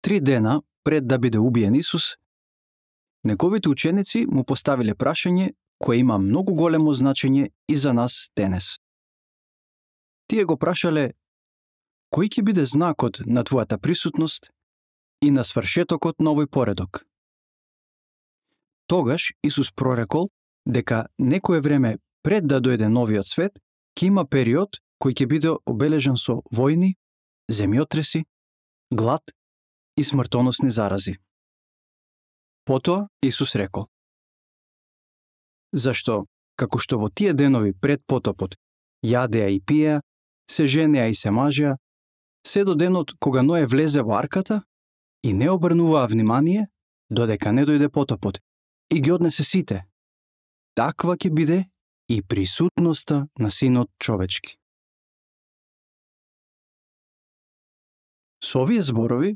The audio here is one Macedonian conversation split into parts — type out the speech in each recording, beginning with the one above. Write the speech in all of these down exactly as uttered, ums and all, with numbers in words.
три дена пред да биде убиен Исус, неговите ученици му поставиле прашање кое има многу големо значење и за нас денес. Тие го прашале: кој ќе биде знакот на твојата присутност и на свршетокот на овој поредок? Тогаш Исус прорекол дека некое време пред да дојде новиот свет, ќе има период кој ќе биде обележан со војни, земјотреси, глад и смртоносни зарази. Потоа Исус рекол: зашто, како што во тие денови пред потопот јадеа и пиеа, се женеа и се мажеа, се до денот кога Ное влезе во арката и не обрнуваа внимание, додека не дојде потопот и ги однесе сите, таква ќе биде и присутноста на Синот човечки. Со овие зборови,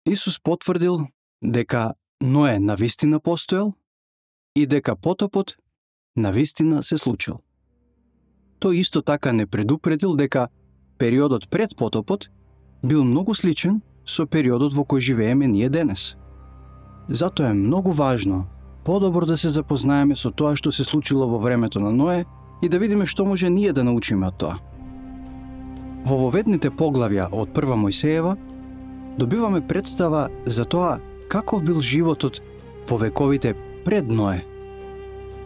Исус потврдил дека Ное навистина постоел и дека потопот навистина се случил. Тој исто така не предупредил дека периодот пред потопот бил многу сличен со периодот во кој живееме ние денес. Затоа е многу важно подобро да се запознаеме со тоа што се случило во времето на Ное и да видиме што може ние да научиме од тоа. Во воведните поглавја од Прва Мојсеева добиваме представа за тоа каков бил животот во вековите пред Ное,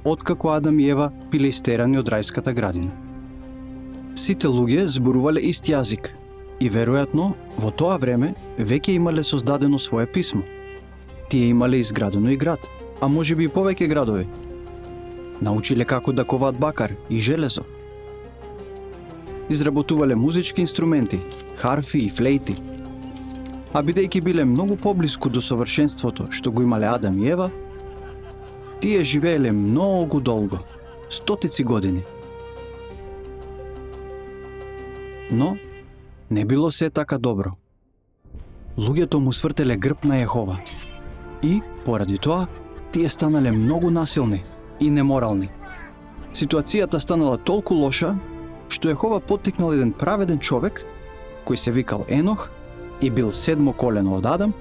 откако Адам и Ева биле истерани од рајската градина. Сите луѓе зборувале ист јазик и веројатно во тоа време веќе имале создадено свое писмо. Тие имале изградено и град, а можеби и повеќе градови. Научиле како да коваат бакар и железо. Изработувале музички инструменти, харфи и флејти. А бидејќи биле многу поблиску до совршенството што го имале Адам и Ева, тие живееле многу долго, стотици години. Но не било се така добро. Луѓето му свртеле грб на Јехова и, поради тоа, тие станале многу насилни и неморални. Ситуацијата станала толку лоша, што Јехова поттикнал еден праведен човек, кој се викал Енох и бил седмо колено од Адам,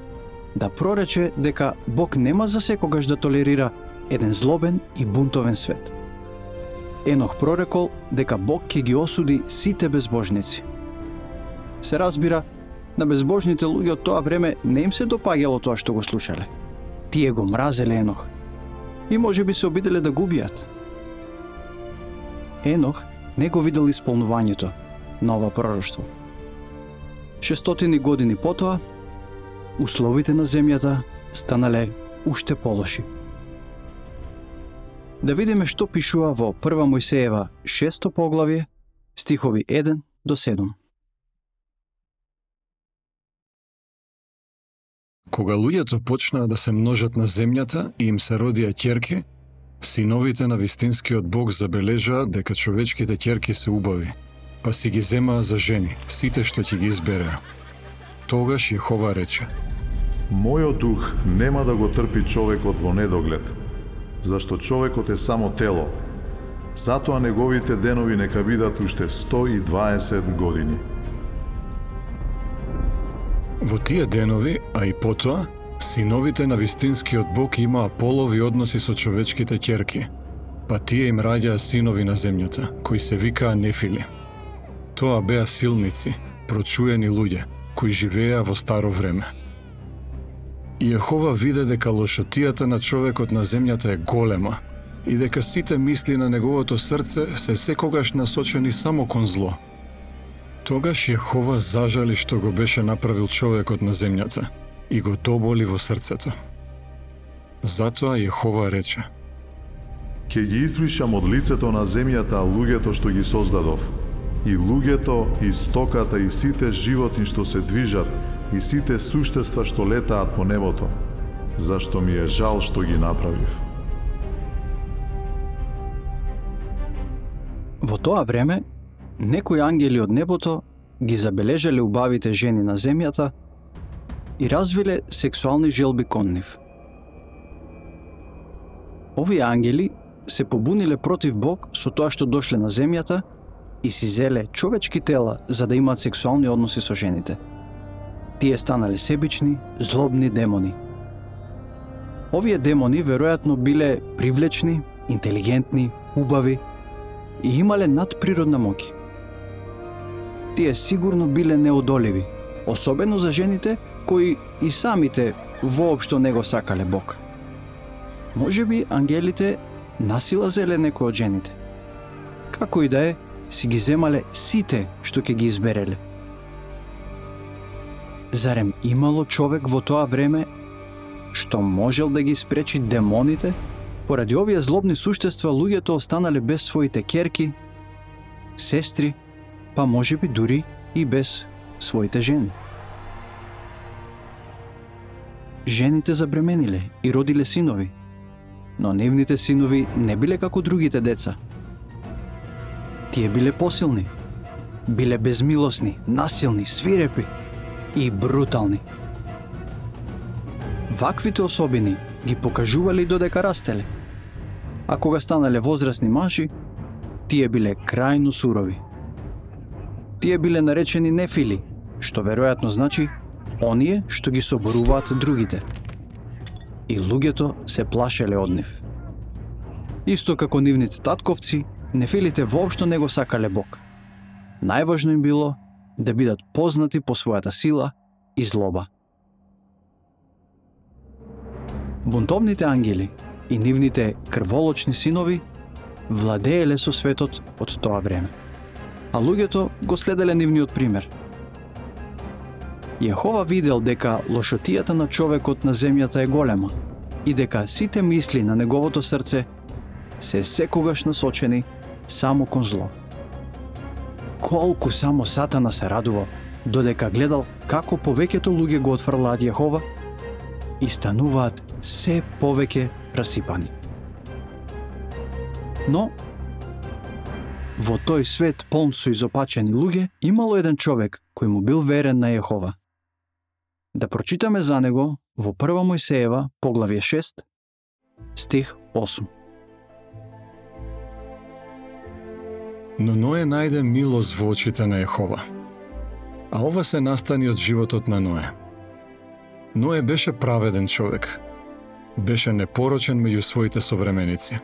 да прорече дека Бог нема за секогаш да толерира еден злобен и бунтовен свет. Енох прорекол дека Бог ќе ги осуди сите безбожници. Се разбира, на безбожните луѓе од тоа време не им се допаѓало тоа што го слушале. Тие го мразеле Енох и може би се обиделе да го убијат. Енох не го видел исполнувањето на ова пророштво. Шестотини години потоа, условите на земјата станале уште полоши. Да видиме што пишува во Прва Мојсеева шесто поглавје, стихови еден до седум. Кога луѓето почнаа да се множат на земјата и им се родија ќерки, синовите на вистинскиот Бог забележаа дека човечките ќерки се убави, па си ги земаа за жени, сите што ќе ги избереа. Тогаш Јехова рече: Мојот дух нема да го трпи човекот во недоглед, зашто човекот е само тело. Затоа неговите денови нека бидат уште сто и дваесет години. Во тие денови, а и потоа, синовите на вистинскиот Бог имаа полови односи со човечките ќерки, па тие им раѓаа синови на земјата, кои се викаа Нефили. Тоа беа силници, прочуени луѓе, кои живееа во старо време. И Јехова виде дека лошотијата на човекот на земјата е голема и дека сите мисли на неговото срце се секогаш насочени само кон зло. Тогаш Јехова зажали што го беше направил човекот на земјата и го доболи во срцето. Затоа Јехова рече: Ке ги избришам од лицето на земјата луѓето што ги создадов, и луѓето, и стоката, и сите животни што се движат, и сите суштества што летаат по небото, зашто ми е жал што ги направив. Во тоа време, некои ангели од небото ги забележале убавите жени на земјата и развиле сексуални желби кон нив. Овие ангели се побуниле против Бог со тоа што дошле на земјата и си зеле човечки тела за да имаат сексуални односи со жените. Тие станале себични, злобни демони. Овие демони веројатно биле привлечни, интелигентни, убави и имале надприродна моќ. Тие сигурно биле неодоливи, особено за жените кои и самите воопшто не го сакале Бог. Можеби ангелите насила зеле некој од жените. Како и да е, си ги земале сите што ќе ги избереле. Зарем имало човек во тоа време што можел да ги спречи демоните? Поради овие злобни суштества луѓето останале без своите ќерки, сестри, па можеби дури и без своите жени. Жените забремениле и родиле синови, но нивните синови не биле како другите деца. Тие биле посилни, биле безмилосни, насилни, свирепи и брутални. Ваквите особини ги покажувале додека растеле, а кога станале возрастни мажи, тие биле крајно сурови. Тие биле наречени нефили, што веројатно значи оние што ги соборуваат другите. И луѓето се плашеле од нив. Исто како нивните татковци, нефилите воопшто не го сакале Бог. Најважно им било да бидат познати по својата сила и злоба. Бунтовните ангели и нивните крволочни синови владееле со светот од тоа време, а луѓето го следеле нивниот пример. Јехова видел дека лошотијата на човекот на земјата е голема и дека сите мисли на неговото срце се секогаш насочени само кон зло. Колку само Сатана се радувал додека гледал како повеќето луѓе го отфрлаат Јехова и стануваат се повеќе расипани. Но во тој свет полн со изопачени луѓе имало еден човек кој му бил верен на Јехова. Да прочитаме за него во прва Мојсеева, поглавје шест, стих осум. Но Ное најде милост во очите на Јехова. А ова се настани од животот на Ное. Ное беше праведен човек. Беше непорочен меѓу своите современици.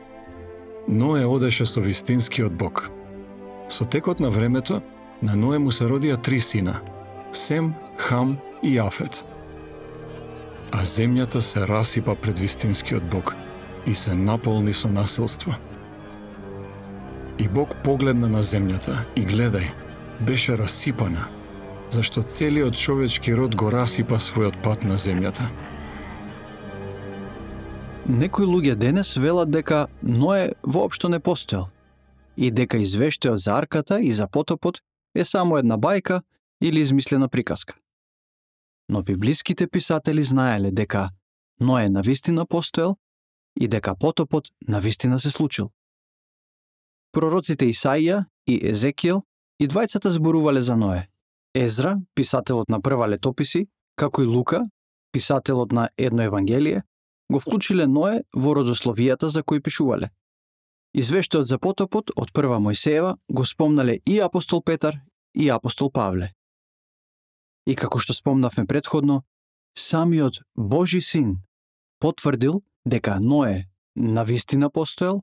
Ное одеше со вистинскиот Бог. Со текот на времето, на Ное му се родија три сина – Сем, Хам и Јафет. А земјата се расипа пред вистинскиот Бог и се наполни со насилство. И Бог погледна на земјата и гледај, беше расипана, зашто целиот човечки род го расипа својот пат на земјата. Некои луѓе денес велат дека Ное воопшто не постоел и дека извештајот за арката и за потопот е само една бајка или измислена приказка. Но библиските писатели знаеле дека Ное навистина постоел и дека потопот навистина се случил. Пророците Исаија и Езекиел и двајцата зборувале за Ное. Езра, писателот на прва летописи, како и Лука, писателот на едно евангелие, го вклучиле Ное во родословијата за кои пишувале. Извештајот за потопот од прва Мојсеева го спомнале и апостол Петар и апостол Павле. И како што спомнавме претходно, самиот Божи син потврдил дека Ное навистина постоел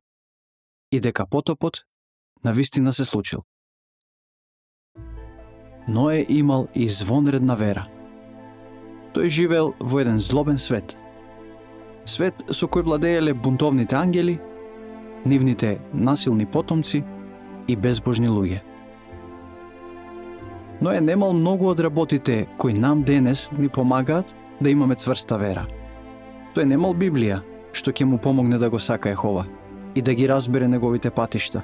и дека потопот навистина се случил. Ное имал извонредна вера. Тој живеел во еден злобен свет. Свет со кој владееле бунтовните ангели, нивните насилни потомци и безбожни луѓе. Ное немал многу од работите кои нам денес ни помагаат да имаме цврста вера. Тој немал Библија, што ќе му помогне да го сака Јехова и да ги разбере неговите патишта.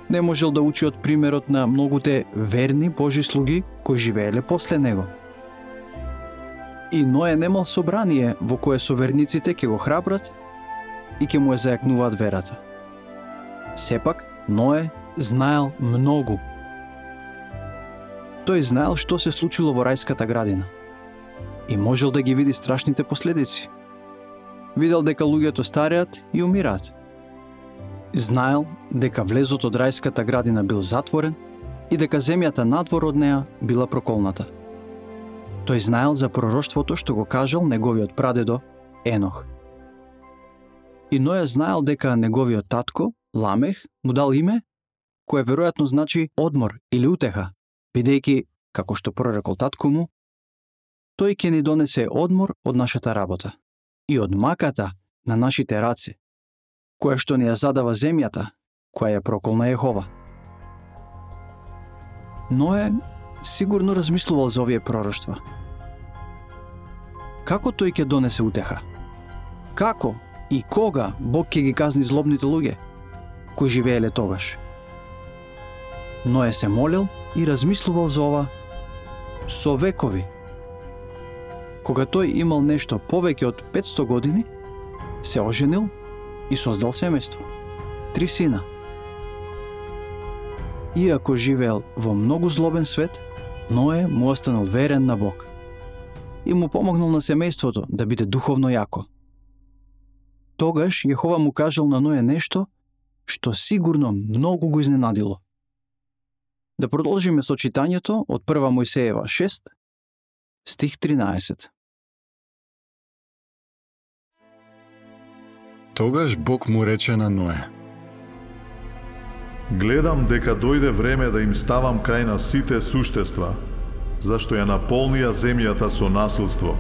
Не можел да учи од примерот на многуте верни Божи слуги кои живееле после него. И Ное немал собрание во кое соверниците ќе го храбрат и ќе му ја зајакнуваат верата. Сепак, Ное знаел многу. Тој знаел што се случило во рајската градина и можел да ги види страшните последици. Видел дека луѓето стареат и умираат. Знаел дека влезот од рајската градина бил затворен и дека земјата надвор од неа била проколната. Тој знаел за пророштвото што го кажал неговиот прадедо Енох. И Ноја знаел дека неговиот татко, Ламех, му дал име кое веројатно значи одмор или утеха, бидејќи, како што прорекол татко му, тој ќе ни донесе одмор од нашата работа и од маката на нашите раце, која што ни ја задава земјата, која ја проколна Јехова. Ное сигурно размислувал за овие пророштва. Како тој ќе донесе утеха? Како и кога Бог ќе ги казни злобните луѓе кои живееле тогаш? Ное се молел и размислувал за ова со векови. Кога тој имал нешто повеќе од петсто години, се оженил и создал семејство. Три сина. Иако живеел во многу злобен свет, Ное му останал верен на Бог и му помогнал на семејството да биде духовно јако. Тогаш Јехова му кажал на Ное нешто што сигурно многу го изненадило. Да продолжиме со читањето од прва Мојсеева шест, стих тринаесет. Тогаш Бог му рече на Ное: Гледам дека дојде време да им ставам крај на сите суштества, зашто ја наполнија земјата со насилство.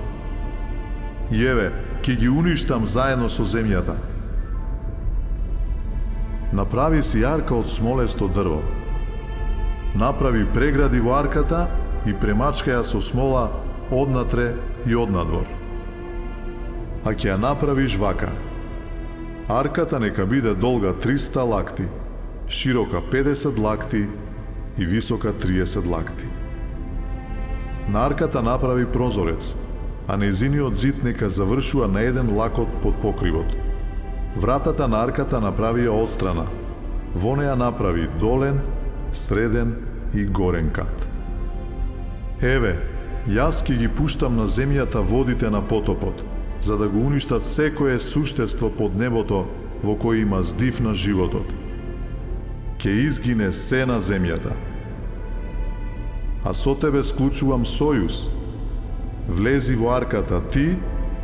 И еве, ќе ги уништам заедно со земјата. Направи си арка од смолесто дрво. Направи прегради во арката и премачка ја со смола однатре и однадвор. А ќе ја направиш вака. Арката нека биде долга триста лакти, широка педесет лакти и висока триесет лакти. На арката направи прозорец, а нејзиниот зид нека завршува на еден лакот под покривот. Вратата на арката направи ја отстрана. Во неја направи долен, среден и горен кат. Еве, јас ќе ги пуштам на земјата водите на потопот, за да го уништат секое суштество под небото во кој има здив на животот. Ќе изгине се на земјата. А со тебе склучувам сојуз. Влези во арката ти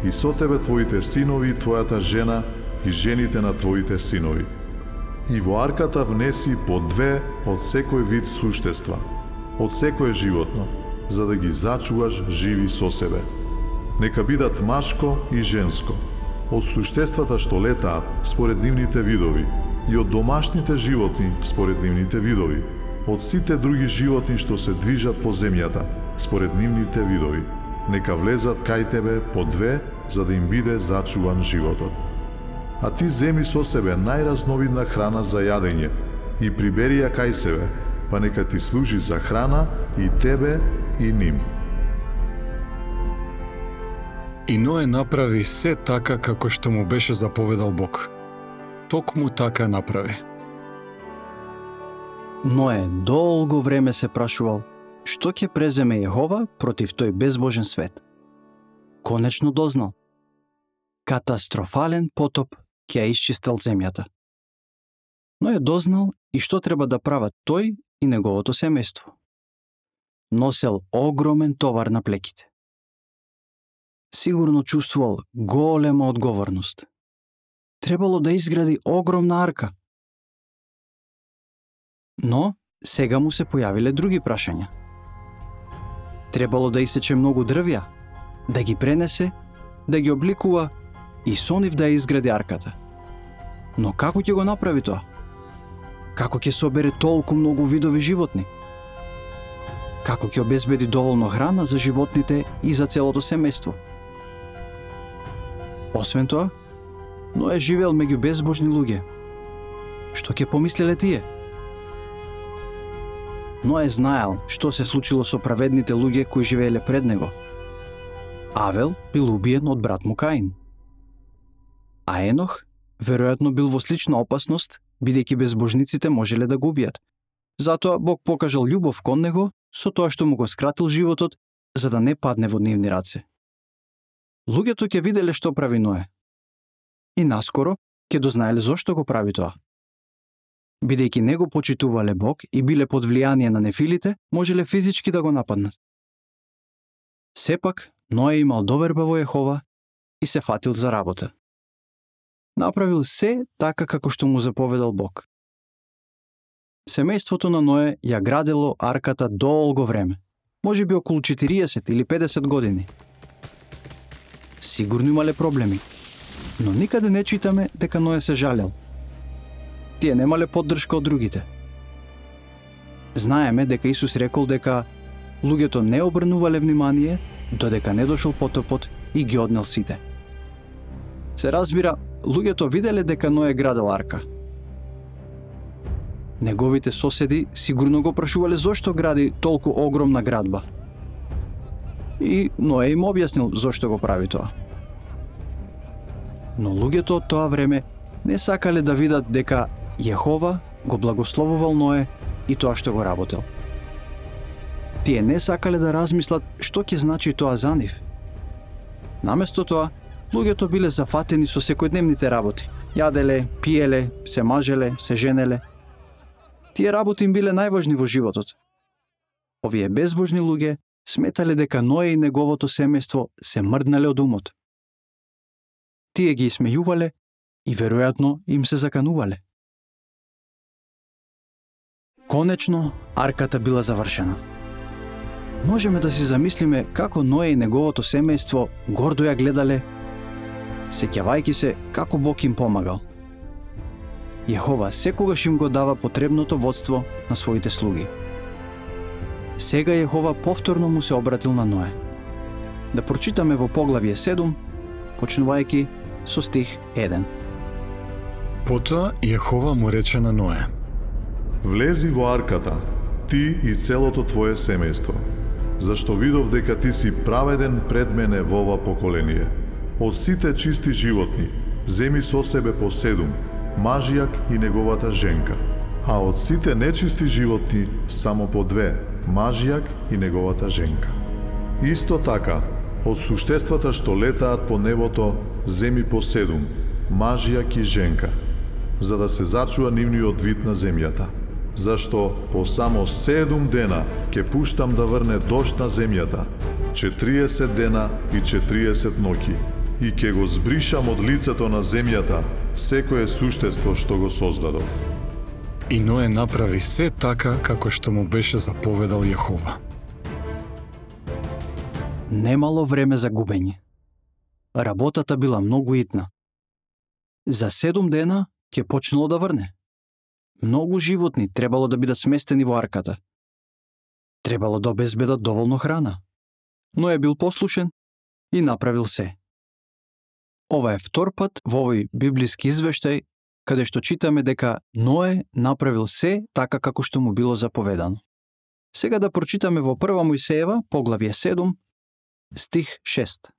и со тебе твоите синови и твојата жена и жените на твоите синови. И во арката внеси по две од секој вид суштества, од секое животно, за да ги зачуваш живи со себе. Нека бидат машко и женско, од суштествата што летаат според нивните видови и од домашните животни според нивните видови, од сите други животни што се движат по земјата според нивните видови. Нека влезат кај тебе по две, за да им биде зачуван животот. А ти земи со себе најразновидна храна за јадење и прибери ја кај себе, па нека ти служи за храна и тебе и ним. И Ное направи се така како што му беше заповедал Бог. Токму така направи. Ное долго време се прашувал што ќе преземе Јехова против тој безбожен свет. Конечно дознал. Катастрофален потоп ќе ја исчистил земјата. Но е дознал и што треба да прават тој и неговото семејство. Носел огромен товар на плеките. Сигурно чувствувал голема одговорност. Требало да изгради огромна арка. Но сега му се појавиле други прашања. Требало да исече многу дрвја, да ги пренесе, да ги обликува и со нив да ја изгради арката. Но како ќе го направи тоа? Како ќе собере толку многу видови животни? Како ќе обезбеди доволно храна за животните и за целото семејство? Освен тоа, Ное живеел меѓу безбожни луѓе. Што ќе помислеле тие? Ное знаел што се случило со праведните луѓе кои живееле пред него. Авел бил убиен од брат му Каин. А Енох веројатно бил во слична опасност, бидејќи безбожниците можеле да го убијат. Затоа Бог покажал љубов кон него со тоа што му го скратил животот, за да не падне во нивни раце. Луѓето ќе виделе што прави Ное. И наскоро ќе дознаеле зошто го прави тоа. Бидејќи не го почитувале Бог и биле под влијание на нефилите, можеле физички да го нападнат. Сепак, Ное имал доверба во Јехова и се фатил за работа. Направил се така како што му заповедал Бог. Семејството на Ное ја градело арката долго време, може би околу четириесет или педесет години. Сигурно имале проблеми, но никаде не читаме дека Ное се жалел. Тие немале поддршка од другите. Знаеме дека Исус рекол дека луѓето не обрнувале внимание додека не дошол потопот и ги однел сите. Се разбира, луѓето виделе дека Ное градел арка. Неговите соседи сигурно го прашувале зошто гради толку огромна градба. И Ное им објаснил зошто го прави тоа. Но луѓето од тоа време не сакале да видат дека Јехова го благословувал Ное и тоа што го работел. Тие не сакале да размислат што ќе значи тоа за нив. Наместо тоа, луѓето биле зафатени со секојдневните работи. Јаделе, пиеле, се мажеле, се женеле. Тие работи им биле најважни во животот. Овие безбожни луѓе сметале дека Ное и неговото семејство се мрднале од умот. Тие ги смејувале и веројатно им се заканувале. Конечно, арката била завршена. Можеме да си замислиме како Ное и неговото семејство гордо ја гледале, сеќавајќи се како Бог им помагал. Јехова секогаш им го дава потребното водство на своите слуги. Сега Јехова повторно му се обратил на Ное. Да прочитаме во поглавје седум, почнувајќи со стих еден. Потоа Јехова му рече на Ное: Влези во арката, ти и целото твое семејство, зашто видов дека ти си праведен пред мене во ова поколение. Од сите чисти животни, земи со себе по седум, мажјак и неговата женка, а од сите нечисти животни само по две, мажјак и неговата женка. Исто така, од суштествата што летаат по небото, земи по седум, мажјак и женка, за да се зачува нивниот вид на земјата. Зашто по само седум дена ќе пуштам да врне дожд на земјата, четириесет дена и четириесет ноќи, и ќе го збришам од лицето на земјата секое суштество што го создадов. И Ное направи се така како што му беше заповедал Јехова. Немало време за губење. Работата била многу итна. За седум дена ќе почнало да врне. Многу животни требало да бидат сместени во арката. Требало да обезбедат доволно храна. Но е бил послушен и направил се. Ова е втор пат во овој библиски извештај каде што читаме дека Ное направил се така како што му било заповедано. Сега да прочитаме во прва Мојсеева, поглавје седум, стих шест.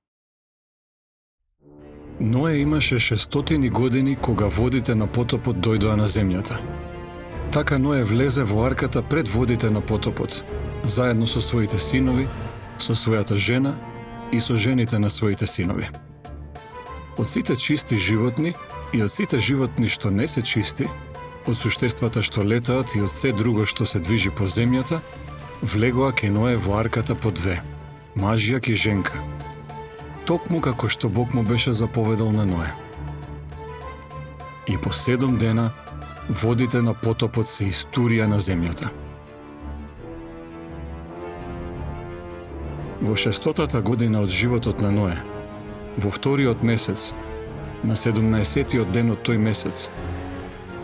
Ное имаше шестстотини години кога водите на потопот дојдоа на земјата. Така Ное влезе во арката пред водите на потопот, заедно со своите синови, со својата жена и со жените на своите синови. Од сите чисти животни и од сите животни што не се чисти, од суштествата што летаат и од се друго што се движи по земјата, влегоа ке Ное во арката по две, мажјак и женка, токму како што Бог му беше заповедал на Ное. И по седум дена водите на потопот се истурија на земјата. Во шестотата година од животот на Ное, во вториот месец, на седумнаесеттиот ден од тој месец,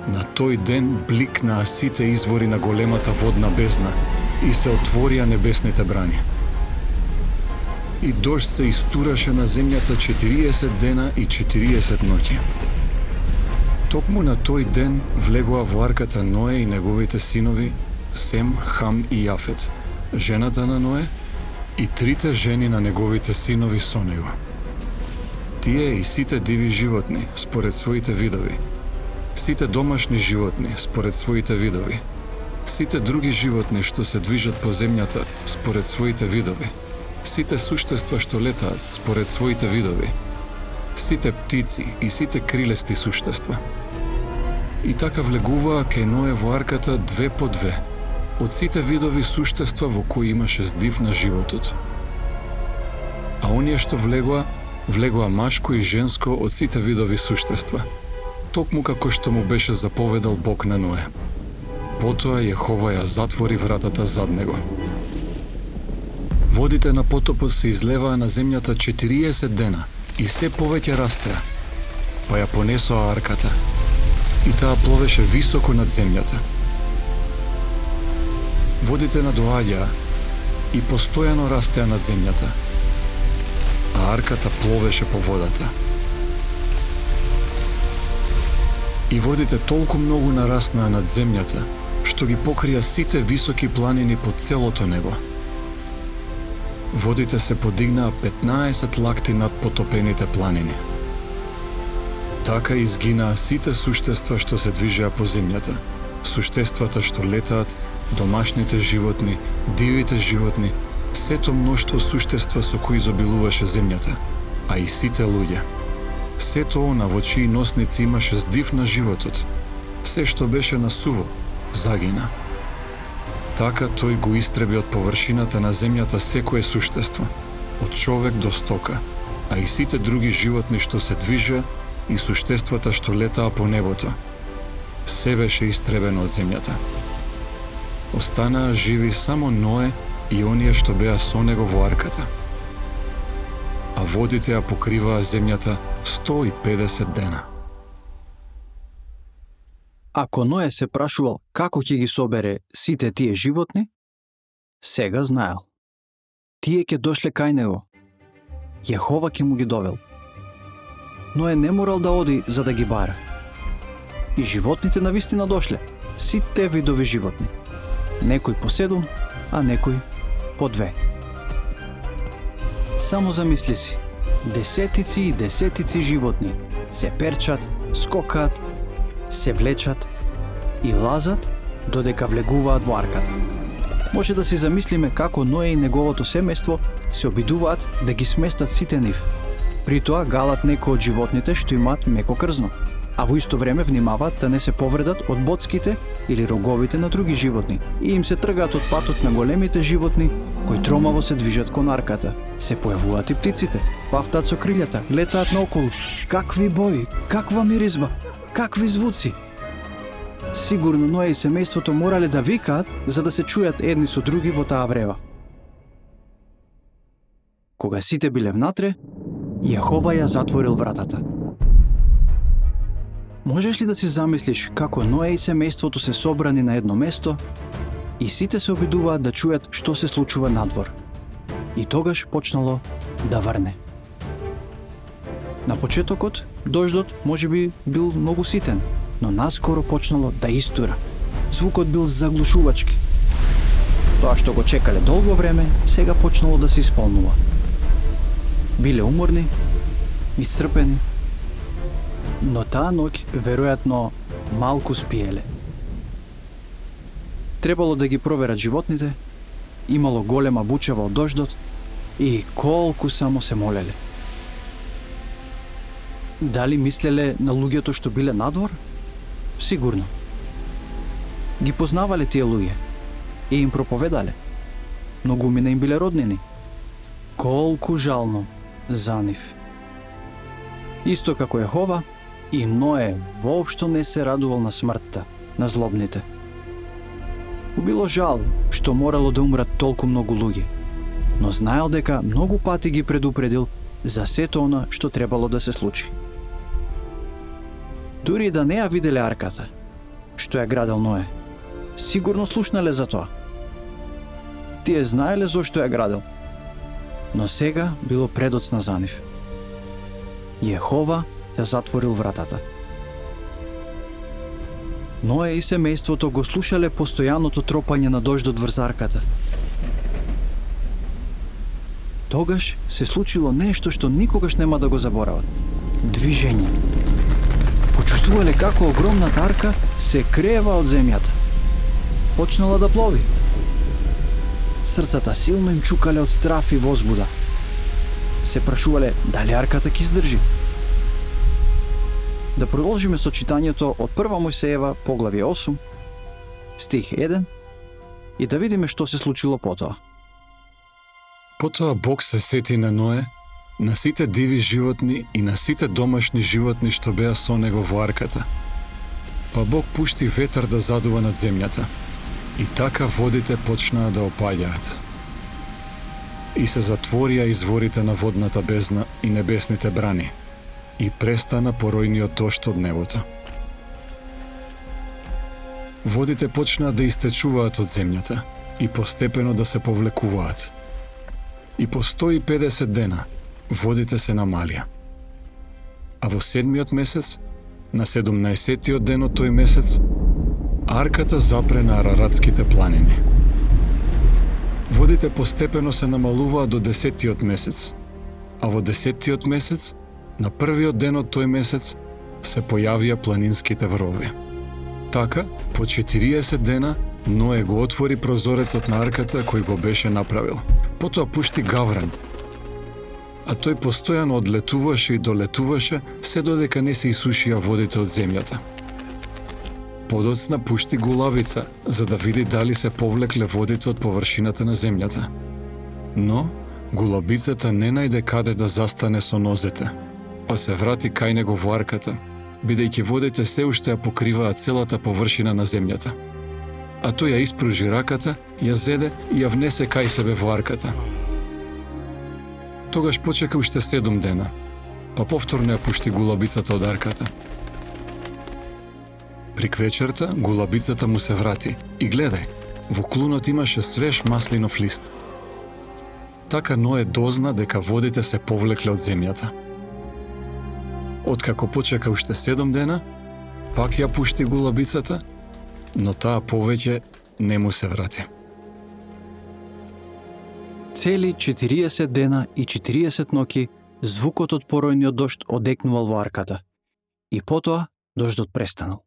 на тој ден бликнаа сите извори на големата водна бездна и се отворија небесните брани. И дожд се истураше на земјата четириесет дена и четириесет ноќи. Токму на тој ден влегоа во арката Ное и неговите синови Сем, Хам и Јафет, жената на Ное и трите жени на неговите синови со него. Тие и сите диви животни според своите видови, сите домашни животни според своите видови, сите други животни што се движат по земјата според своите видови, сите суштества што летаат според своите видови, сите птици и сите крилести суштества. И така влегуваа кај Ное во арката две по две, од сите видови суштества во кои имаше здив на животот. а оние што влегоа, влегоа машко и женско од сите видови суштества, токму како што му беше заповедал Бог на Ное. Потоа Јехова ја затвори вратата зад него. Водите на потопот се излеваа на земјата четириесет дена и се повеќе растеа, па ја понесоа арката, и таа пловеше високо над земјата. Водите надоаѓаа и постојано растеа над земјата, а арката пловеше по водата. И водите толку многу нараснаа над земјата, што ги покрија сите високи планини по целото небо. Водите се подигнаа петнаесет лакти над потопените планини. Така изгинаа сите суштества што се движеа по земјата, суштествата што летаат, домашните животни, дивите животни, сето мноштво суштества со кои изобилуваше земјата, а и сите луѓе. Сето она во чии носници имаше здив на животот, се што беше на суво, загина. Така тој го истреби од површината на земјата секое суштество, од човек до стока, а и сите други животни што се движеа и суштествата што летаа по небото. Се беше истребено од земјата. Останаа живи само Ное и оние што беа со него во арката. А водите ја покриваа земјата сто и педесет дена. Ако Ное се прашувал како ќе ги собере сите тие животни, сега знаел. Тие ќе дошле кај него. Јехова ќе му ги довел. Ное не морал да оди за да ги бара. И животните навистина дошле, сите видови животни. Некој по седум, а некој по две. Само замисли си, десетици и десетици животни се перчат, скокаат, се влечат и лазат додека влегуваат во арката. Може да си замислиме како Ное и неговото семејство се обидуваат да ги сместат сите нив. При тоа галат некои од животните што имаат меко крзно, а во исто време внимаваат да не се повредат од боцките или роговите на други животни и им се тргаат од патот на големите животни кои тромаво се движат кон арката. Се појавуваат и птиците, пафтаат со крилјата, летаат наоколу. Какви бои, каква миризма, какви звуци! Сигурно Ное и семејството морале да викаат за да се чујат едни со други во таа врева. Кога сите биле внатре, Јехова ја затворил вратата. Можеш ли да си замислиш како Ное и семејството се собрани на едно место и сите се обидуваат да чујат што се случува надвор? И тогаш почнало да врне. На почетокот, дождот можеби бил многу ситен, но наскоро почнало да истура. Звукот бил заглушувачки. Тоа што го чекале долго време, сега почнало да се исполнува. Биле уморни, исцрпени, но таа ноќ веројатно малку спиеле. Требало да ги проверат животните, имало голема бучава од дождот и колку само се молеле. Дали мислеле на луѓето што биле надвор? Сигурно. Ги познавале тие луѓе и им проповедале. Многумина им биле роднини. Колку жално за нив. Исто како Јехова, и Ное воопшто не се радувал на смртта на злобните. Му било жал што морало да умрат толку многу луѓе, но знаел дека многу пати ги предупредил за сето она што требало да се случи. Дури да не ја виделе арката, што ја градел Ное, сигурно слушнале за тоа. Тие знаеле зошто ја градел, но сега било предоцна за нив. Јехова ја затворил вратата. Ное и семејството го слушале постојаното тропање на дождот врз арката. Тогаш се случило нешто што никогаш нема да го заборават. Движење. Почувствувале како огромната арка се крева од земјата. Почнала да плови. Срцата силно им чукале од страф и возбуда. Се прашувале дали арката ќе издржи. Да продолжиме со читањето од прва Мојсеева, поглавје осум, стих еден, и да видиме што се случило потоа. Потоа Бог се сети на Ное, на сите диви животни и на сите домашни животни што беа со него во арката. Па Бог пушти ветар да задува над земјата. И така водите почнаа да опаѓаат. И се затворија изворите на водната бездна и небесните брани. И престана поројниот дожд од небото. Водите почнаа да истечуваат од земјата и постепено да се повлекуваат. И по сто и педесет дена водите се намалија. А во седмиот месец, на седумнаесеттиот ден од тој месец, арката запре на Араратските планини. Водите постепено се намалуваа до десеттиот месец, а во десеттиот месец, на првиот ден од тој месец, се појавија планинските врови. Така, по четириесет дена, Ное го отвори прозорецот на арката кој го беше направил. Потоа пушти гавран, а тој постојано одлетуваше и долетуваше се додека не се исушија водите од земјата. Подоцна пушти гулабица, за да види дали се повлекле водите од површината на земјата. Но, гулабицата не најде каде да застане со нозете, па се врати кај него во арката, бидејќи водите се уште ја покриваат целата површина на земјата. А тој ја испружи раката, ја зеде и ја внесе кај себе во арката. Тогаш почека уште седум дена, па повторно ја пушти гулабицата од арката. При квечерта гулабицата му се врати и гледај, во клунот имаше свеж маслинов лист. Така Ное дозна дека водите се повлекле од земјата. Откако почека уште седум дена, пак ја пушти гулабицата, но таа повеќе не му се врати. Цели четириесет дена и четириесет ноќи звукот од поројниот дожд одекнувал во арката. И потоа дождот престанал.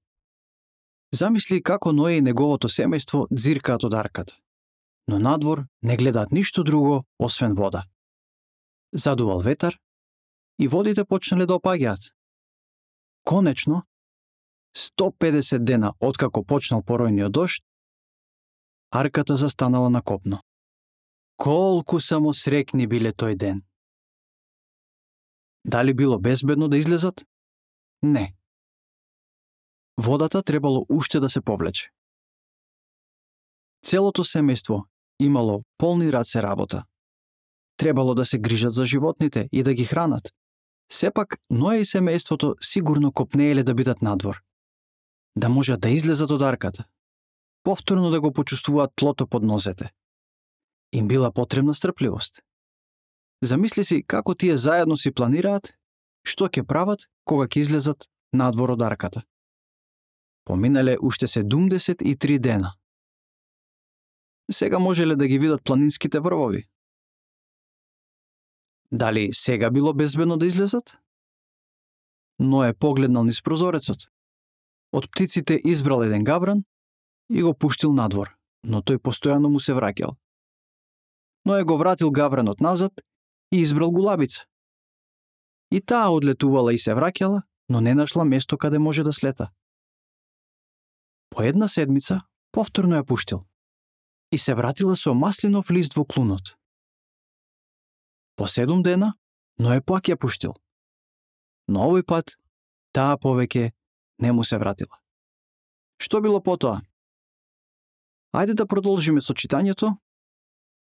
Замисли како Ное и неговото семејство дзиркаат од арката, но надвор не гледаат ништо друго освен вода. Задувал ветар и водите почнале да опаѓаат. Конечно, сто педесет дена откако почнал поројниот дожд, арката застанала на копно. Колку само срекни биле тој ден. Дали било безбедно да излезат? Не. Водата требало уште да се повлече. Целото семејство имало полни раце работа. Требало да се грижат за животните и да ги хранат. Сепак, Ное и семејството сигурно копнееле да бидат надвор. Да можат да излезат од арката. Повторно да го почувствуваат тлото под нозете. Им била потребна стрпливост. Замисли си како тие заедно си планираат што ќе прават кога ќе излезат надвор од арката. Поминале уште седумдесет и три дена. Сега можеле да ги видат планинските врвови. Дали сега било безбедно да излезат? Ное погледнал низ прозорецот. Од птиците избрал еден гавран и го пуштил надвор, но тој постојано му се враќал. Ное го вратил гавранот назад и избрал гулабица. И таа одлетувала и се враќала, но не нашла место каде може да слета. По една седмица повторно ја пуштил и се вратила со маслинов лист во клунот. По седум дена, Ное пак ја пуштил. Но овој пат, таа повеќе не му се вратила. Што било потоа? Ајде да продолжиме со читањето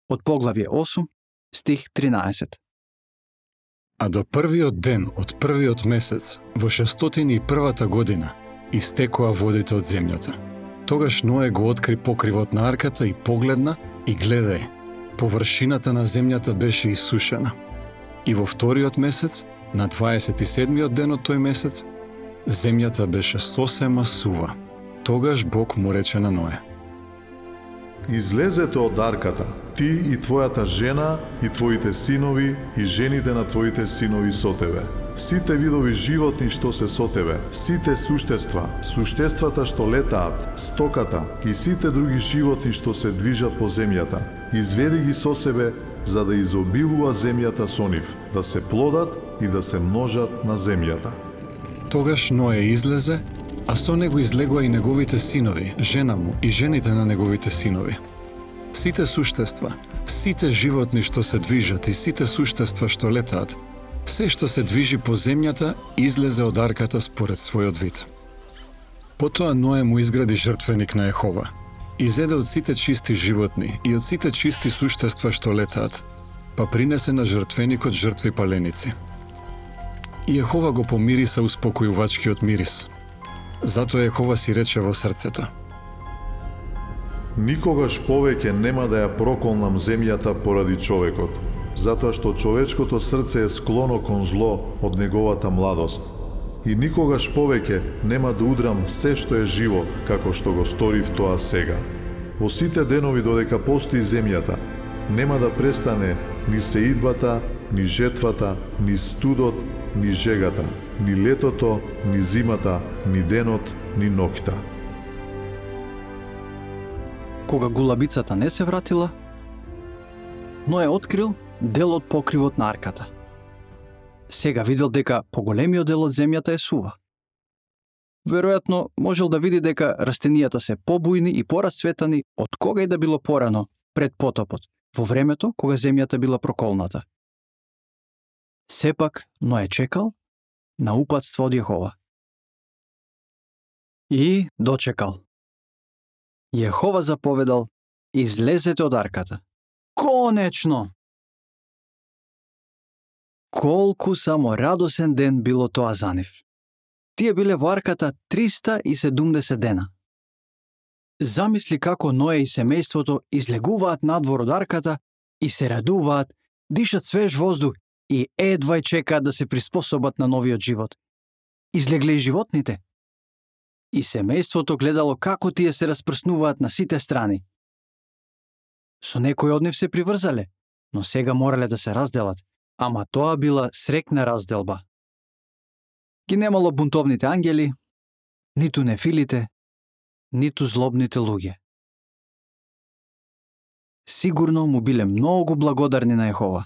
од поглавје осум, стих тринаесет. А до првиот ден од првиот месец, во шестстотини и првата година, истекоа водите од земјата. Тогаш Ное го откри покривот на арката и погледна и гледај, површината на земјата беше исушена. И во вториот месец, на дваесет и седмиот ден од тој месец, земјата беше сосема сува. Тогаш Бог му рече на Ное: Излезете од арката, ти и твојата жена, и твоите синови, и жените на твоите синови со тебе. Сите видови животни што се со тебе, сите суштества, суштествата што летаат, стоката и сите други животни што се движат по земјата, изведи ги со себе, за да изобилува земјата со нив, да се плодат и да се множат на земјата. Тогаш Ное излезе, а со него излегоа и неговите синови, жена му и жените на неговите синови. Сите суштества, сите животни што се движат и сите суштества што летаат, се што се движи по земјата излезе од арката според својот вид. Потоа Ное му изгради жртвеник на Јехова. Изеде од сите чисти животни и од сите чисти суштества што летаат, па принесе на жртвеникот жртви паленици. И Јехова го помириса успокојувачкиот мирис. Затоа Јехова си рече во срцето: Никогаш повеќе нема да ја проколнам земјата поради човекот, затоа што човечкото срце е склоно кон зло од неговата младост. И никогаш повеќе нема да удрам се што е живо, како што го сторив тоа сега. Во сите денови додека постои земјата, нема да престане ни сеидбата, ни жетвата, ни студот, ни жегата, ни летото, ни зимата, ни денот, ни ноќта. Кога гулабицата не се вратила, Ное открил дел од покривот на арката. Сега видел дека поголемиот дел од земјата е сува. Веројатно можел да види дека растенијата се побујни и порасцветани од кога и да било порано пред потопот, во времето кога земјата била проколната. Сепак Ное чекал на упатство од Јехова. И дочекал. Јехова заповедал: излезете од арката. Конечно! Колку само радосен ден било тоа за нив. Тие биле во арката триста и седумдесет дена. Замисли како Ное и семејството излегуваат надвор од арката и се радуваат, дишат свеж воздух и едвај чекаат да се приспособат на новиот живот. Излегле и животните. И семејството гледало како тие се распрснуваат на сите страни. Со некој од нив се приврзале, но сега морале да се разделат, ама тоа била срекна разделба. Ги немало бунтовните ангели, ниту нефилите, ниту злобните луѓе. Сигурно му биле многу благодарни на Јехова.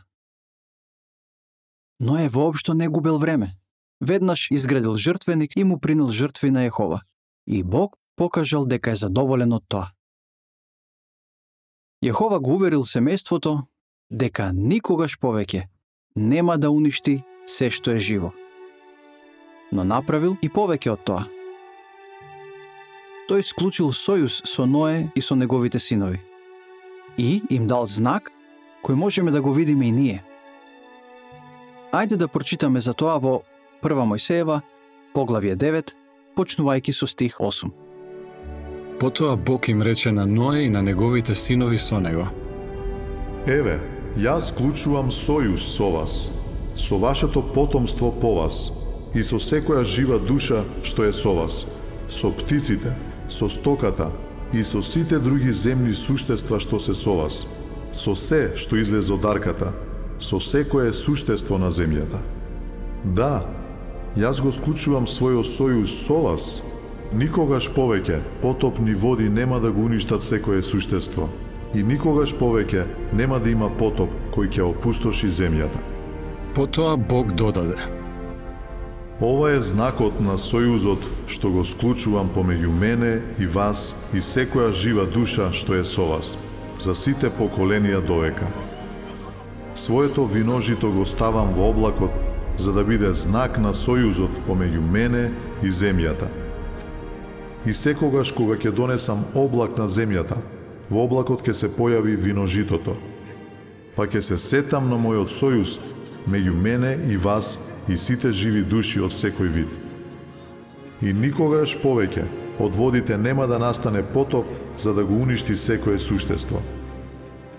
Но е воопшто не губел време. Веднаш изградил жртвеник и му принел жртви на Јехова. И Бог покажал дека е задоволен од тоа. Јехова го уверил семејството дека никогаш повеќе нема да уништи се што е живо. Но направил и повеќе од тоа. Тој склучил сојуз со Ное и со неговите синови. И им дал знак кој можеме да го видиме и ние. Ајде да прочитаме за тоа во Прва Мојсеева, поглавје девет, почнувајќи со стих осум. Потоа Бог им рече на Ное и на неговите синови со него: Еве, јас склучувам сојуз со вас, со вашето потомство по вас и со секоја жива душа што е со вас, со птиците, со стоката и со сите други земни суштества што се со вас, со се што излезе од арката, со секое суштество на земјата. Да, јас го склучувам својот сојуз со вас. Никогаш повеќе потопни води нема да го уништат секое суштество и никогаш повеќе нема да има потоп кој ќе опустоши земјата. Потоа Бог додаде: Ова е знакот на сојузот што го склучувам помеѓу мене и вас и секоја жива душа што е со вас, за сите поколенија довека. Своето виножито го ставам во облакот, за да биде знак на сојузот помеѓу мене и земјата. И секогаш кога ќе донесам облак на земјата, во облакот ќе се појави виножитото. Па ќе се сетам на мојот сојуз меѓу мене и вас и сите живи души од секој вид. И никогаш повеќе од водите нема да настане потоп за да го уништи секое суштество.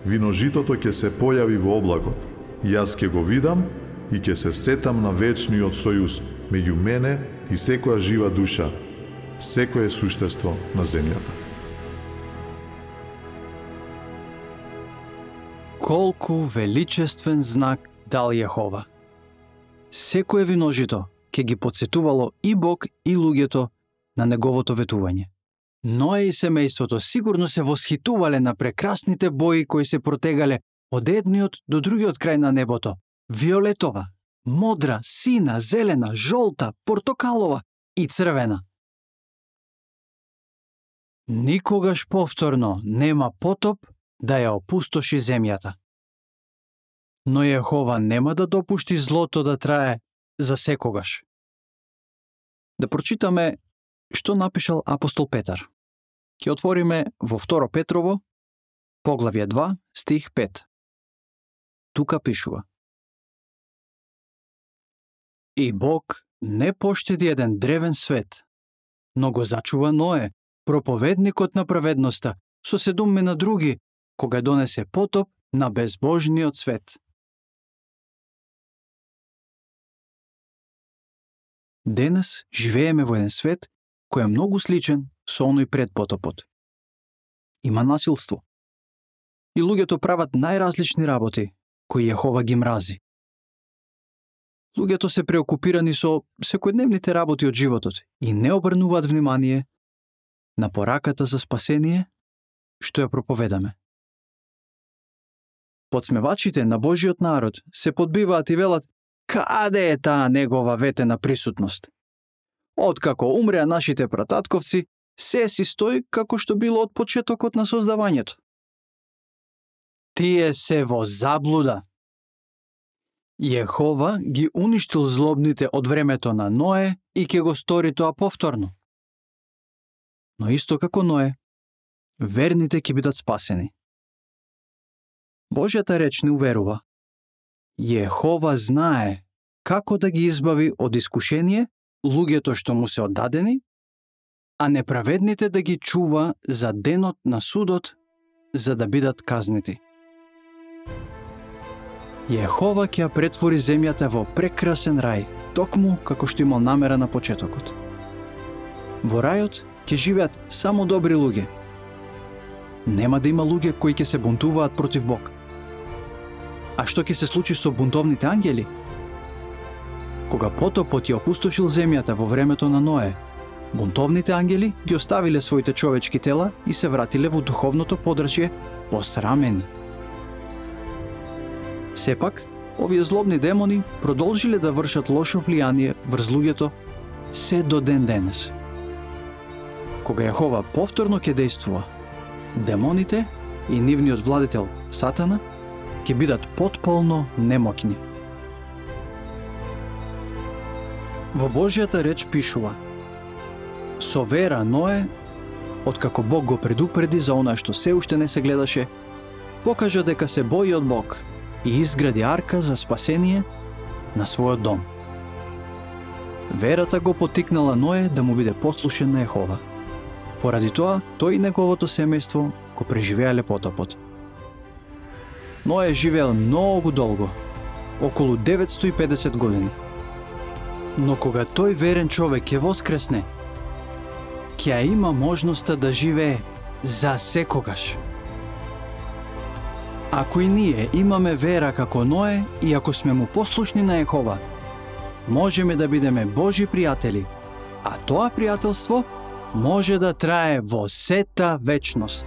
Виножитото ќе се појави во облакот, и јас ќе го видам и ќе се сетам на вечниот сојуз меѓу мене и секоја жива душа, секое суштество на земјата. Колку величествен знак дал Јехова. Секое виножито ќе ги потсетувало и Бог и луѓето на неговото ветување. Ное и семејството сигурно се восхитувале на прекрасните бои кои се протегале од едниот до другиот крај на небото. Виолетова, модра, сина, зелена, жолта, портокалова и црвена. Никогаш повторно нема потоп да ја опустоши земјата. Но Јехова нема да допушти злото да трае за секогаш. Да прочитаме што напишал апостол Петар. Ќе отвориме во Второ Петрово, поглавје два, стих пет. Тука пишува: И Бог не поштеди еден древен свет, но го зачува Ное, проповедникот на праведноста, со седуммина други, кога донесе потоп на безбожниот свет. Денес живееме во еден свет кој е многу сличен со оној пред потопот. Има насилство. И луѓето прават најразлични работи, кои Јехова ги мрази. Луѓето се преокупирани со секојдневните работи од животот и не обрнуваат внимание на пораката за спасение, што ја проповедаме. Подсмевачите на Божиот народ се подбиваат и велат: каде е таа негова ветена присутност? Откако умреа нашите прататковци, се си стои како што било од почетокот на создавањето. Тие се во заблуда. Јехова ги уништил злобните од времето на Ное и ќе го стори тоа повторно. Но исто како Ное, верните ќе бидат спасени. Божјата реч не уверува. Јехова знае како да ги избави од искушение луѓето што му се оддадени, а неправедните да ги чува за денот на судот, за да бидат казнити. Јехова ќе ја претвори земјата во прекрасен рај, токму како што имал намера на почетокот. Во рајот ќе живеат само добри луѓе. Нема да има луѓе кои ќе се бунтуваат против Бог. А што ќе се случи со бунтовните ангели? Кога потопот ја опустошил земјата во времето на Ное, бунтовните ангели ги оставиле своите човечки тела и се вратиле во духовното подрачје посрамени. Сепак, овие злобни демони продолжиле да вршат лошо влијание врз луѓето се до ден денес. Кога Јехова повторно ќе действува, демоните и нивниот владетел Сатана ќе бидат потполно немоќни. Во Божјата реч пишува: со вера Ное, откако Бог го предупреди за она што се уште не се гледаше, покажа дека се бои од Бог и изгради арка за спасение на својот дом. Верата го потикнала Ное да му биде послушен на Јехова. Поради тоа, тој и неговото семејство го преживеале потопот. Ное живеел многу долго, околу деветстотини и педесет години. Но кога тој верен човек ќе воскресне, ќе ја има можноста да живее за секогаш. Ако и ние имаме вера како Ное и ако сме му послушни на Јехова, можеме да бидеме Божи пријатели, а тоа пријателство може да трае во сета вечност.